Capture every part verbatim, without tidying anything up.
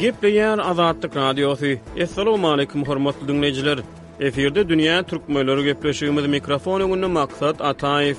Gepleýär Azatlyk Radiosy. Assalamualaikum hormatly dinleýjiler. Efirde Dünýä Türkmenleri gepleşigimiz mikrofon öňünde Maksat Ataýew.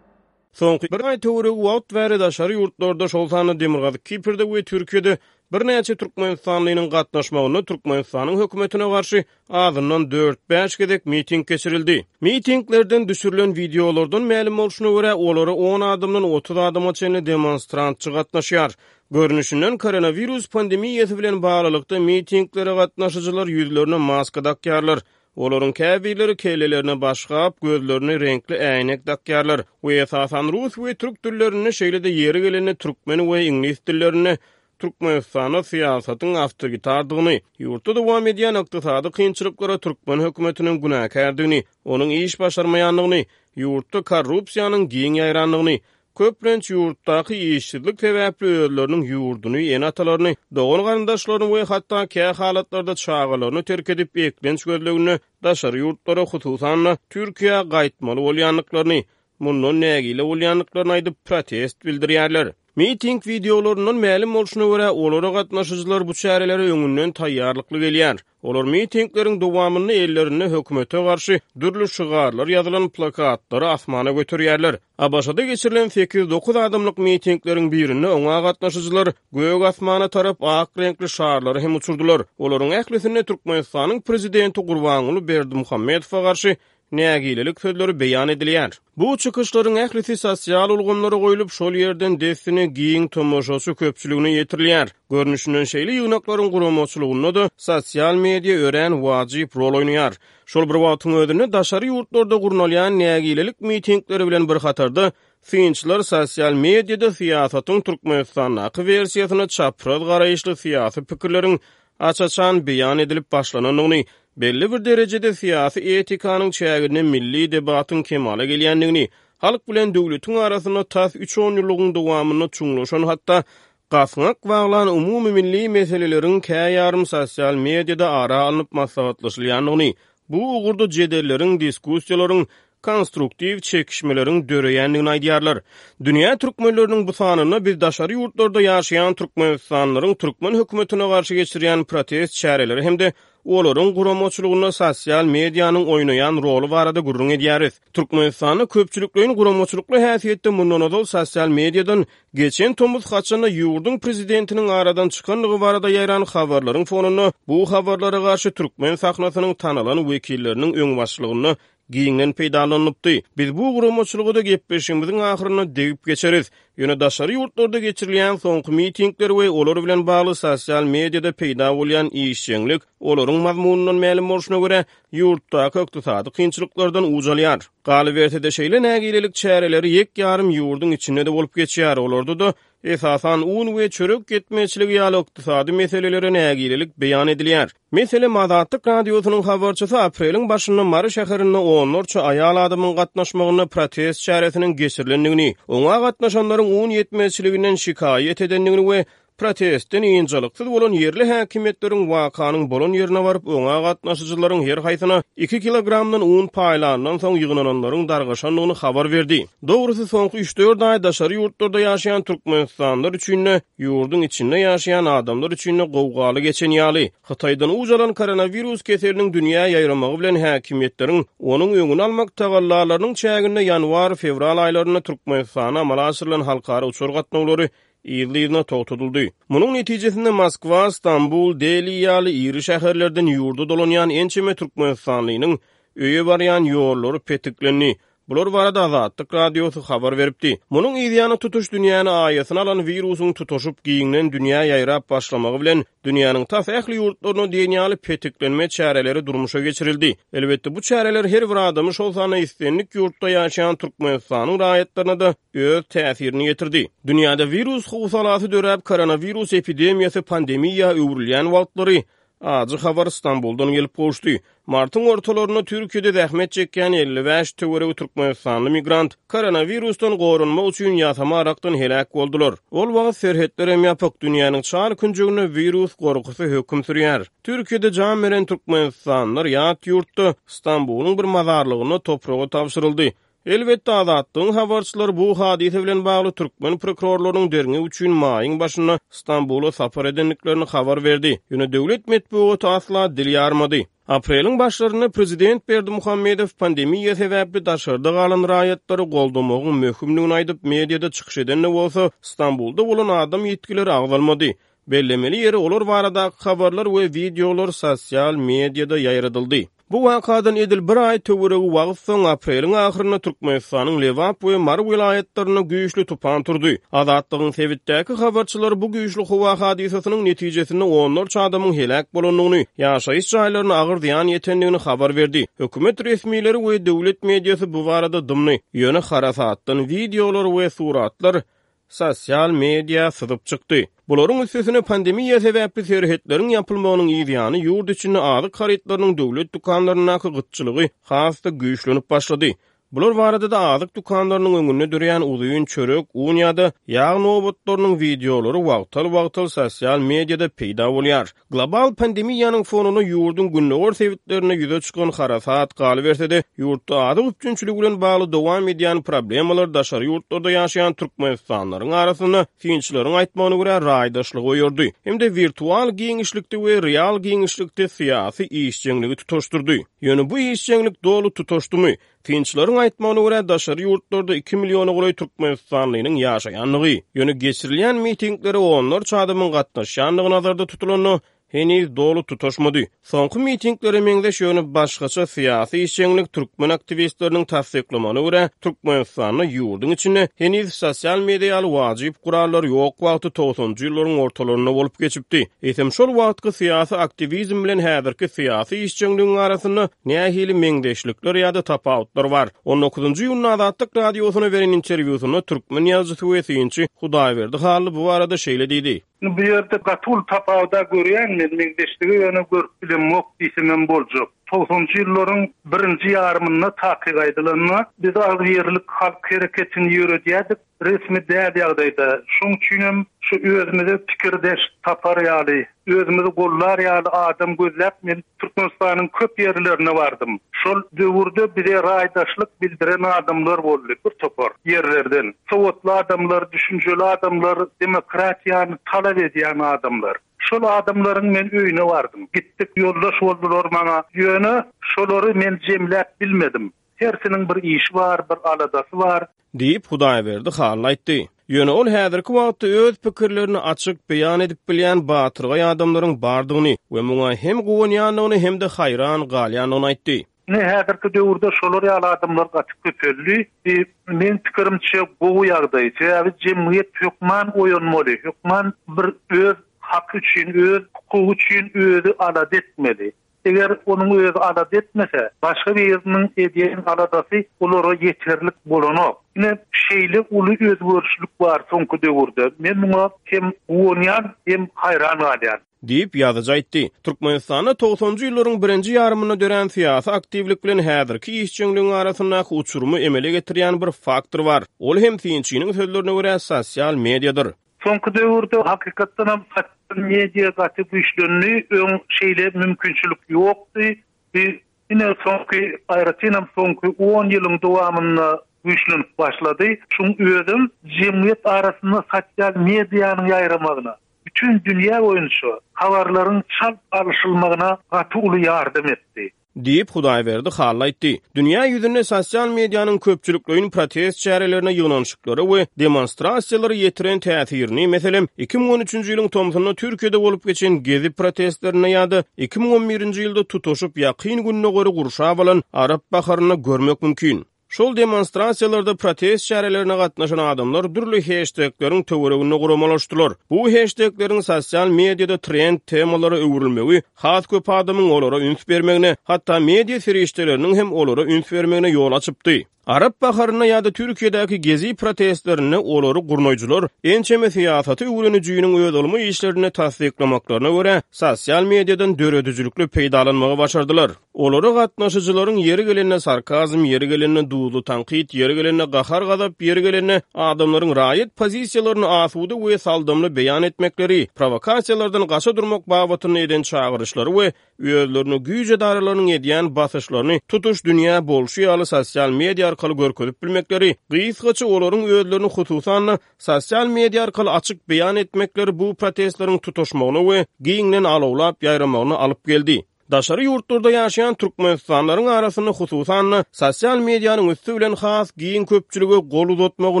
Soňky bir aý töweregi wagt bäri daşary ýurtlarda, şol sanda Demirgazyk Kiprde we Türkiýede birnäçe Türkmenistanlynyň gatnaşmagynda Türkmenistanyň hökümetine garşy azyndan dört-bäş gezek miting geçirildi. Mitinglerden düşürilen wideolardan mälim bolşuna görä, olara on adamdan otuz adama çenli demonstrantçy gatnaşýar. Görnüşinden koronawirus pandemiýasy bilen baglylykda mitinglere gatnaşyjylar ýüzlerine maska dakýarlar. Olaryň käbirleri kellelerine başgap, gözlerini reňkli äýnek dakýarlar we esasan rus we türk dillerinde, şeýle-de ýeri gelende türkmen we iňlis dillerinde Türkmenistanda syýasatyň awtoritardygyny, ýurtda dowam edýän ykdysady kynçylyklara türkmen hökümetiniň günäkärdigini, onuň iş başarmaýandygyny, ýurtda korrupsiýanyň giň ýaýrandygyny, köplenç ýurtdaky işsizlik sebäpli özleriniň ýurduny, ene-atalaryny, dogan-garyndaşlaryny we hatda kä halatlarda çagalaryny terk edip eklenç gözleginde daşary ýurtlara, hususan-da Türkiýä gaýtmaly bolýandyklaryny, mundan nägile bolýandyklaryny aýdyp protest bildirýärler. Miting wideolaryndan mälim bolşuna görä, olara gatnaşyjylar bu çärelere öňünden taýýarlykly gelýär. Olar mitingleriň dowamynda ellerinde hökümete garşy dürli şygarlar ýazylan plakatlary asmana göterýärler. ABŞ-da geçirilen sekiz-dokuz adamlyk mitingleriň birinde oňa gatnaşyjylar gök asmana tarap ak reňkli şarlary hem uçurdylar. Olaryň ählisinde Türkmenistanyň prezidenti Gurbanguly Berdimuhamedowa garşy nägilelik sözleri beýan edilýär. Bu çykyşlaryň ählisi sosial ulgamlara goýlup, şol ýerden dessine giň tomaşaçy köpçüligine ýetirilýär. Görnüşinden şeýle ýygnaklaryň guramaçylygynda-da sosial media örän wajyp rol oýnaýar. Şol bir wagtyň özünde daşary ýurtlarda gurnalýan nägilelik mitingleri bilen bir hatarda synçylar sosial mediada syýasatyň Türkmenistandaky wersiýasyna çapraz garaýyşly syýasy pikirleriň aç-açan beýan edilip başlanandygyny, belli bir derejede syýasy etikanyň çäginde milli debatyň kemala gelýändigini, halk bilen döwletiň arasynda tas üç on ýyllygyň dowamynda çuňlaşan hatda gasňak baglan umumy milli meseleleriň käýarym sosial mediada ara alnyp maslahatlaşylýandygyny, bu ugurda jedelleriň, diskussiýalaryň, konstruktiv çekişmeleriň döreýändigini aýdýarlar. Dünýä türkmenleriniň bu sanynda biz daşary ýurtlarda ýaşaýan Türkmenistanlylaryň türkmen hökümetine garşy geçirýän protest çäreleri hem-de olaryň guramaçylygynda sosial medianyň oýnaýan roly barada gürrüň edýäris. Türkmenistanda köpçülikleýin guramaçylykly häsiýetde mundan ozal sosial mediadan geçen tomus haçanda ýurduň prezidentiniň aradan çykandygy barada ýaýran habarlaryň fonunda bu habarlara garşy türkmen sahnasynyň tanalan wekilleriniň öňbaşçylygynda giňden peýdalanypdy. Biz bu guramaçylyga da gepleşigimiziň ahyrynda degip geçeris. Ýöne daşary ýurtlarda geçirilýän soňky mitingler we olar bilen bagly sosial mediada peýda bolýan işjeňlik olaryň mazmunyndan mälim bolşuna görä ýurtdaky ykdysady kynçylyklardan uç alýar. Galyberse-de şeýle nägilelik çäreleri ýek ýarym ýurduň içinde de bolup geçýär. Olarda da esasan un we çörek ýetmezçiligi ýaly ykdysady meselelere nägilelik beýan edilýär. Meselem, Azatlyk Radiosynyň habarçysy apreliň başynda Mary şäherinde onlarça aýal adamyň gatnaşmagynda protest çäresiniň geçirilendigini, oňa gatnaşanlaryň un ýetmezçiliginden şikaýat edendigini we protestden ynjalyksyz bolan ýerli häkimiýetleriň wakanyň bolan ýerine baryp, oňa gatnaşyjylaryň her haýsyna iki kilogramdan un paýlandan soň ýygnananlaryň dargaşandygyny habar berdi. Dogrusy, soňky üç-dört aý daşary ýurtlarda ýaşaýan Türkmenistanlylar üçin-de, ýurduň içinde ýaşaýan adamlar üçin-de gowgaly geçen ýaly. Hytaýdan uç alan koronawirus keseliniň dünýä ýaýramagy bilen häkimiýetleriň onuň öňüni almak tagallalarynyň çäginde ýanwar-fewral aýlarynda Türkmenistana amala aşyrylan halkara uçar gatnawlary yzly-yzyna togtadyldy. Munuň netijesinde Moskwa, Stambul, Deli ýaly iri şäherlerden ýurda dolanýan ençeme Türkmenistanlynyň öýe barýan ýollary petiklendi. Bular barada Azatlyk Radiosy habar beripdi. Munuň yzýany tutuş dünýäni aýasyna alan wirusyň tutaşyp giňden dünýä ýaýrap başlamagy bilen dünýäniň tas ähli ýurtlaryna diýen ýaly petiklenme çäreleri durmuşa geçirildi. Elbetde bu çäreler her bir adamy, şol sanda islendik ýurtda ýaşaýan Türkmenistanyň raýatlaryna da öz täsirini ýetirdi. Dünýäde wirus howsalasy döräp, koronawirus epidemiýasy pandemiýa öwrülýän wagtlary ajy habar Stambuldan gelip gowuşdy. Martyň ortalarynda Türkiýede zähmet çekýän elli bäş töweregi Türkmenistanly migrant koronawirusdan goranmak üçin ýasama arakdan heläk boldular. Ol wagt serhetler hem ýapyk, dünýäniň çar künjeginde wirus gorkusy höküm sürýär. Türkiýede jan beren Türkmenistanlylar ýat ýurtda Stambulyň bir mazarlygynda topraga tabşyryldy. Elbetde, Azatlygyň habarçylary bu hadysa bilen bagly türkmen prokurorlarynyň derňew üçin maýyň başynda Stambula sapar edendiklerini habar berdi. Ýöne döwlet metbugaty asla dil ýarmady. Apreliň başlarynda prezident Berdimuhamedow pandemiýa sebäpli daşarda galan raýatlary goldamagyň möhümdigini aýdyp, mediada çykyş eden-de bolsa, Stambulda bolan adam ýitgileri agzalmady. Bellemeli ýeri, olar baradaky habarlar we wideolar sosial mediada ýaýradyldy. Bu wakadan edil bir aý töweregi wagt soň, apreliň ahyrynda Türkmenistanyň Lebap we Mary welaýatlarynda güýçli tupan turdy. Azatlygyň sebitdäki habarçylary bu güýçli howa hadysasynyň netijesinde onlarça adamyň heläk bolandygyny, ýaşaýyş jaýlaryna agyr zyýan ýetendigini habar berdi. Hökümet resmileri we döwlet mediasy bu barada dymdy. Ýöne harasatdan wideolar we suratlar sosial media syzyp çykdy. Bularyň üstesine pandemiýa sebäpli serhetleriň ýapylmagynyň yz ýany ýurt içinde azyk harytlarynyň döwlet dükanlaryndaky gytçylygy has-da güýçlenip başlady. Bular barada-da azyk dükanlarynyň öňünde döreýän uzyn çörek, un ýa-da ýag nobatlarynyň wideolary wagtal-wagtal sosial mediada peýda bolýar. Global pandemiýanyň fonunda ýurduň gündogar sebitlerinde ýüze çykan harasat, galyberse-de, ýurtda azyk üpjünçiligi bilen bagly dowam edýän problemalar daşary ýurtlarda ýaşaýan türkmenistanlylaryň arasynda, synçylaryň aýtmagyna görä, raýdaşlygy oýardy hem-de wirtual giňişlikde we real giňişlikde syýasy işjeňligi tutaşdyrdy. Ýöne bu işjeňlik doly tutaşdymy? Synçylaryň aýtmagyna görä, daşary ýurtlarda iki milliona golaý türkmenistanlynyň ýaşaýandygy, ýöne geçirilýän mitinglere onlarça adamyň gatnaşýandygy nazarda tutulanda, heniz doly tutaşmady. Soňky mitinglere meňzeş, ýöne başgaça syýasy işjeňlik türkmen aktiwistleriniň tassyklamagyna görä, Türkmenistanda ýurduň içinde heniz sosial media ýaly wajyp gurallar ýok wagty togsanjy ýyllaryň ortalarynda bolup geçipdi. Eýsem şol wagtky syýasy aktiwizm bilen häzirki syýasy işjeňligiň arasynda nähili meňzeşlikler ýa-da tapawutlar bar? On dokuzynjy iýunda Azatlyk Radiosyna beren interwýusynda türkmen ýazyjysy we synçy Hudaýberdi Hally bu barada şeýle diýdi. Bu ýerde gaty uly tapawuda görýän men, meňzeşligi ýöne görüp bilemok diýsemem boljak. Togsanjy ýyllaryň birinji ýarymynda takyk aýdylanda biz agzybirlik halk hereketini ýöredýärdik, resmi däl ýagdaýda. Şoň üçinem şu özümize pikirdeş tapar ýaly, özümizi gollar ýaly adam gözläp men Türkmenistanyň köp ýerlerine bardym. Şol döwürde bize raýdaşlyk bildiren adamlar boldy bir topar ýerlerden. Sowatly adamlar, düşünjeli adamlar, demokratiýany talap edýän adamlar. Şol adamlaryň men öýüne bardym. Gitdik, ýoldaş boldular maňa. Ýöne şolary men jemläp bilmedim. Hersiniň bir işi bar, bir aladasy bar. Diýip, Hudaýberdi Hally aýtdy. Ýöne ol häzirki wagtda öz pikirlerini açyk beýan edip bilýän batyrgaý adamlaryň bardygyny we muňa hem guwanýandygyny hem-de haýran galýandygyny aýtdy. Ine, häzirki döwürde şolar ýaly adamlar gaty köpeldi. Bu, meň pikirimçe, gowy ýagdaý. Sebäbi jemgyýet hökman oýanmaly, hökman bir öz haky üçin, öz hukugy üçin özi alada etmeli. Eger onuň özi alada etmese, başga biriniň edýän aladasy olara ýeterlik bolanok. Ine, şeýle uly özgerişlik bar soňky döwürde. Men muňa hem guwanýan, hem haýran galýan. Diýip, ýazyjy aýtdy. Türkmenistanda togsanjy ýyllaryň birinji ýarymynda dörän syýasy aktiwlik bilen häzirki işjeňligiň arasyndaky uçurymy emele getirýän bir faktor bar. Ol hem synçynyň sözlerine görä, sosial mediadyr. Soňky döwürde hakykatdan hem sosial media gaty güýçlendi. Öň şeýle mümkinçilik ýokdy. Bu ine soňky, aýratyn hem soňky on ýylyň dowamynda güýçlenip başlady. Şuň özem jemgyýet arasynda sosial medianyň ýaýramagyna, bütün dünýä boýunça habarlaryň çalt alyşylmagyna gaty uly ýardam etdi. Diýip, Hudaýberdi Hally aýtdy. Dünýä ýüzünde sosial medianyň köpçülikleýin protest çärelerine, ýygnanyşyklara we demonstrasiýalara ýetiren täsirini, meselem, iki müň on üçünji ýylyň tomsunda Türkiýede bolup geçen Gezi protestlerinde ýa-da iki müň on birinji ýylda tutuşyp Ýakyn Gündogary gurşap alan Arap baharynda görmek mümkin. Şol demonstrasiýalarda protest çärelerine gatnaşan adamlar dürli heştegleriň töwereginde guramalaşdylar. Bu heştegleriň sosial mediada trend temalara öwrülmegi has köp adamyň olara üns bermegine, hatda media serişdeleriniň hem olara üns bermegine ýol açypdy. Arap baharynda ýa-da Türkiýedäki Gezi protestlerinde olary gurnaýjylar ençeme syýasaty öwrenijiniň öz ylmy işlerinde tassyklamaklaryna görä, sosial mediadan döredijilikli peýdalanmagy başardylar. Olara gatnaşyjylaryň ýeri gelende sarkazm, ýeri gelende duzly tankyt, ýeri gelende gahar-gazap, ýeri gelende adamlaryň raýat pozisiýalaryny asuda we saldamly beýan etmekleri, provokasiýalardan gaça durmak babatynda eden çagyryşlary we özlerine güýç edaralarynyň edýän basyşlaryny tutuş dünýä bolşy ýaly sosial media arkaly görkezip bilmekleri, gysgaça olaryň özlerini hususan-da sosial media arkaly açyk beýan etmekleri bu protestleriň tutaşmagyna we giňden alawlap ýaýramagyna alyp geldi. Daşary ýurtlarda ýaşaýan türkmenistanlylaryň arasynda hususan-da sosial medianyň üsti bilen has giň köpçülige gol uzatmagy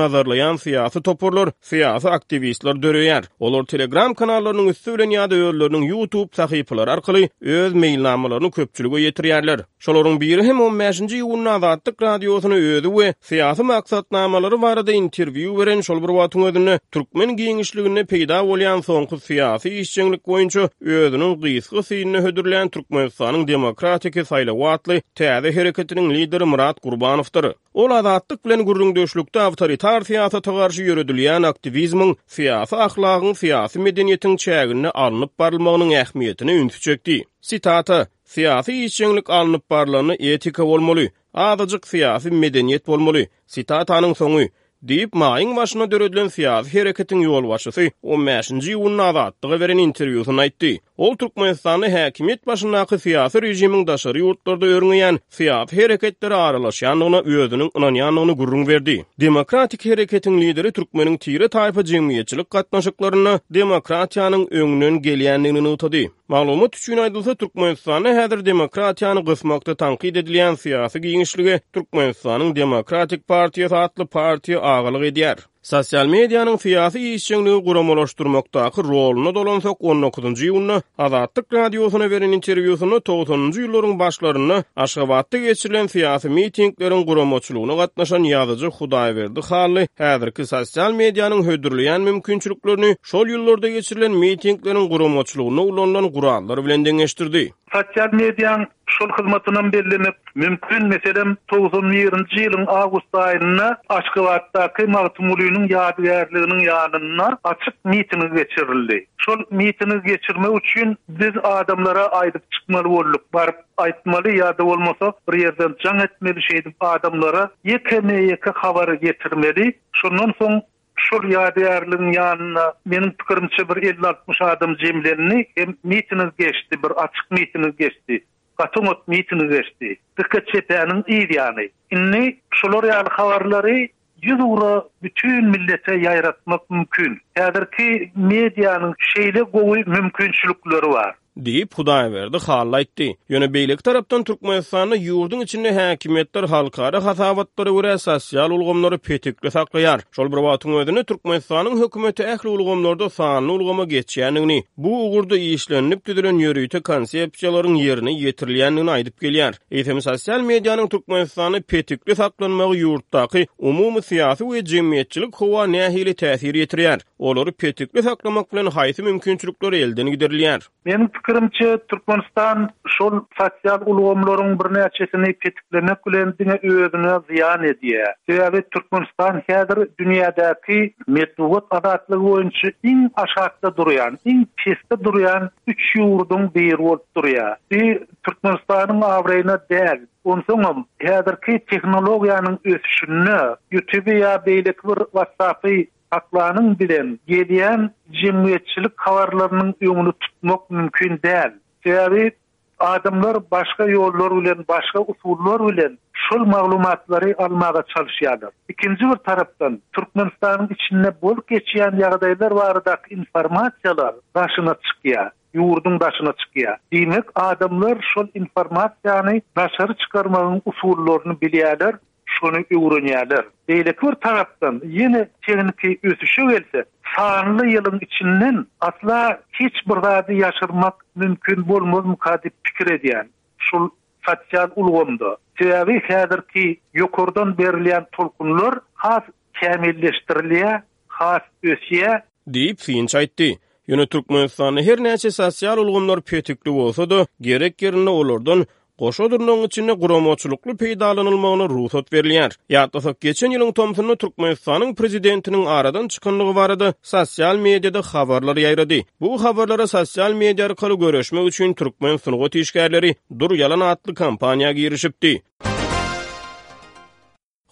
nazarlaýan syýasy toparlar, syýasy aktiwistler döreýär. Olar Telegram kanallarynyň üsti bilen ýa-da özleriniň YouTube sahypalary arkaly öz meýilnamalaryny köpçülige ýetirýärler. Şolaryň biri hem on bäşinji iýunda Azatlyk Radiosyna özi we syýasy maksatnamalary barada interwýu beren şol bir wagtyň özünde türkmen giňişliginde peýda bolýan soňky syýasy işjeňlik boýunça özüniň gysga synyny hödürlän Türkmenistanyň Demokratiki saýlawy atly täze hereketiniň lideri Myrat Gurbanowdyr. Ol Azatlyk bilen gürrüňdeşlikde awtoritar syýasata garşy ýöredilýän aktiwizmiň syýasy ahlagyň, syýasy medeniýetiň çäginde alnyp barylmagynyň ähmiýetine ünsi çekdi. Sitata: Syýasy işjeňlik alnyp barylanda etika bolmaly, azajyk syýasy medeniýet bolmaly. Sitatanyň soňy diýip, maýyň başynda döredilen syýasy hereketiň ýolbaşçysy on bäşinji iýunda Azatlyga beren interwýusynda aýtdy. Ol Türkmenistanda häkimiýet başyndaky syýasy režimiň daşary ýurtlarda örňeýän syýasy hereketlere aralaşýandygyna özüniň ynanýandygyny gürrüň berdi. Demokratik hereketiň lideri türkmeniň tire-taýpa jemgyýetçilik gatnaşyklarynda demokratiýanyň öňünden gelýändigini nygtady. Maglumat üçin aýdylsa, Türkmenistanda häzir demokratiýany gysmakda tankyt edilýän syýasy giňişlige Türkmenistanyň Demokratik partiýasy atly partiýa agalyk edýär. Sosial medianyň syýasy işjeňligi guramalaşdyrmakdaky roluna dolansak, on dokuzynjy iýunda Azatlyk Radiosyna beren interwýusynda togsanynjy ýyllaryň başlarynda Aşgabatda geçirilen syýasy mitingleriň guramaçylygyna gatnaşan ýazyjy Hudaýberdi Hally häzirki sosial medianyň hödürleýän mümkinçiliklerini şol ýyllarda geçirilen mitingleriň guramaçylygynda ulanylan gurallar bilen deňeşdirdi. Sosial medianyň şol hyzmatyndan bellemek mümkin, meselem, togsan birinji ýylyň awgust aýynda Aşgabatdaky Magtymgulynyň ýadygärliginiň ýanynda açyk miting geçirildi. Şol mitingi geçirmek üçin biz adamlara aýdyp çykmaly bolduk, baryp aýtmaly ýa-da bolmasa bir ýerden jaň etmeli, şeýdip adamlara ýekeme-ýeke habary getirmeli. Şondan soň şol ýadygärligiň ýanynda meniň pikirimçe bir elli altmyş adam jemlendi, hem miting geçdi, bir açyk miting geçdi. Gaty oňat miting geçdi. Dikkat çepäniň yz ýany. Indi şolar ýaly habarlary ýüz ugra bütün millete ýaýratmak mümkin. Häzirki medianyň şeýle gowy mümkinçilikleri bar. Diýip Hudaýberdi Hally aýtdy. Ýöne beýleki tarapdan Türkmenistanda ýurduň içinde häkimiýetler halkara hasabatlara görä sosial ulgamlary petikli saklaýar. Şol bir wagtyň özünde Türkmenistanyň hökümeti ähli ulgamlarda sanly ulgama geçýändigini, bu ugurda işlenilip düzülen ýörite konsepsiýalaryň ýerine ýetirilýändigini aýdyp gelýär. Eýsem sosial medianyň Türkmenistanda petikli saklanmagy ýurtdaky umumy syýasy we jemgyýetçilik howa nähili täsir ýetirýär? Olary petikli saklamak bilen haýsy mümkinçilikler elden giderilýär? Meniň pikirimçe Türkmenistan şol sosial ulgamlaryň birnäçesini petiklemek bilen diňe özüne zyýan edýär. Sebäbi Türkmenistan häzir dünýädäki metbugat azatlygy boýunça iň aşakda durýan, iň pesde durýan üç ýurduň biri bolup durýar. Bu Türkmenistanyň abraýyna däl. Onsoňam häzirki tehnologiýanyň ösüşinde YouTube ýa beýleki bir WhatsApp-y saklanyň bilen gelýän jemgyýetçilik habarlarynyň öňüni tutmak mümkin däl. Sebäbi adamlar başga ýollar bilen, başga usullar bilen şol maglumatlary almaga çalışýarlar. Ikinji bir tarapdan Türkmenistanyň içinde bolup geçýän ýagdaýlar baradaky informasiýalar daşyna çykýar, ýurduň daşyna çykýar. Diýmek, adamlar şol informasiýany daşary çykarmagyň usullaryny bilýärler, şony öwrenýärler. Beýleki bir tarapdan ýene tehniki ösüşe gelse, sanly ýylyň içinden asla hiç bir zady ýaşyrmak mümkin bolmazmyka diýip pikir edýän. Şol sosial ulgamda. Sebäbi häzirki ýokardan berilýän tolkunlar has kämilleşdirilýär, has ösýär diýip synçy aýtdy. Ýöne Türkmenistanda her näçe sosial ulgamlar petikli bolsa-da, gerek ýerinde olardan goşa durnagyň içinde guramaçylykly peýdalanylmagyna rugsat berilýär. Ýatlasak, geçen ýylyň tomsunda Türkmenistanyň prezidentiniň aradan çykanlygy barada sosial mediada habarlar ýaýrady. Bu habarlara sosial media arkaly görüşmek üçin türkmen sungat işgärleri Dur Ýalan atly kampaniýa girişipdi.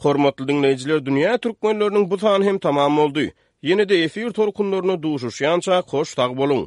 Hormatly dinleýjiler, dünýä türkmenleriniň bu sany hem tamam boldy. Ýene-de efir tolkunlaryna duşuşýança hoş sag boluň.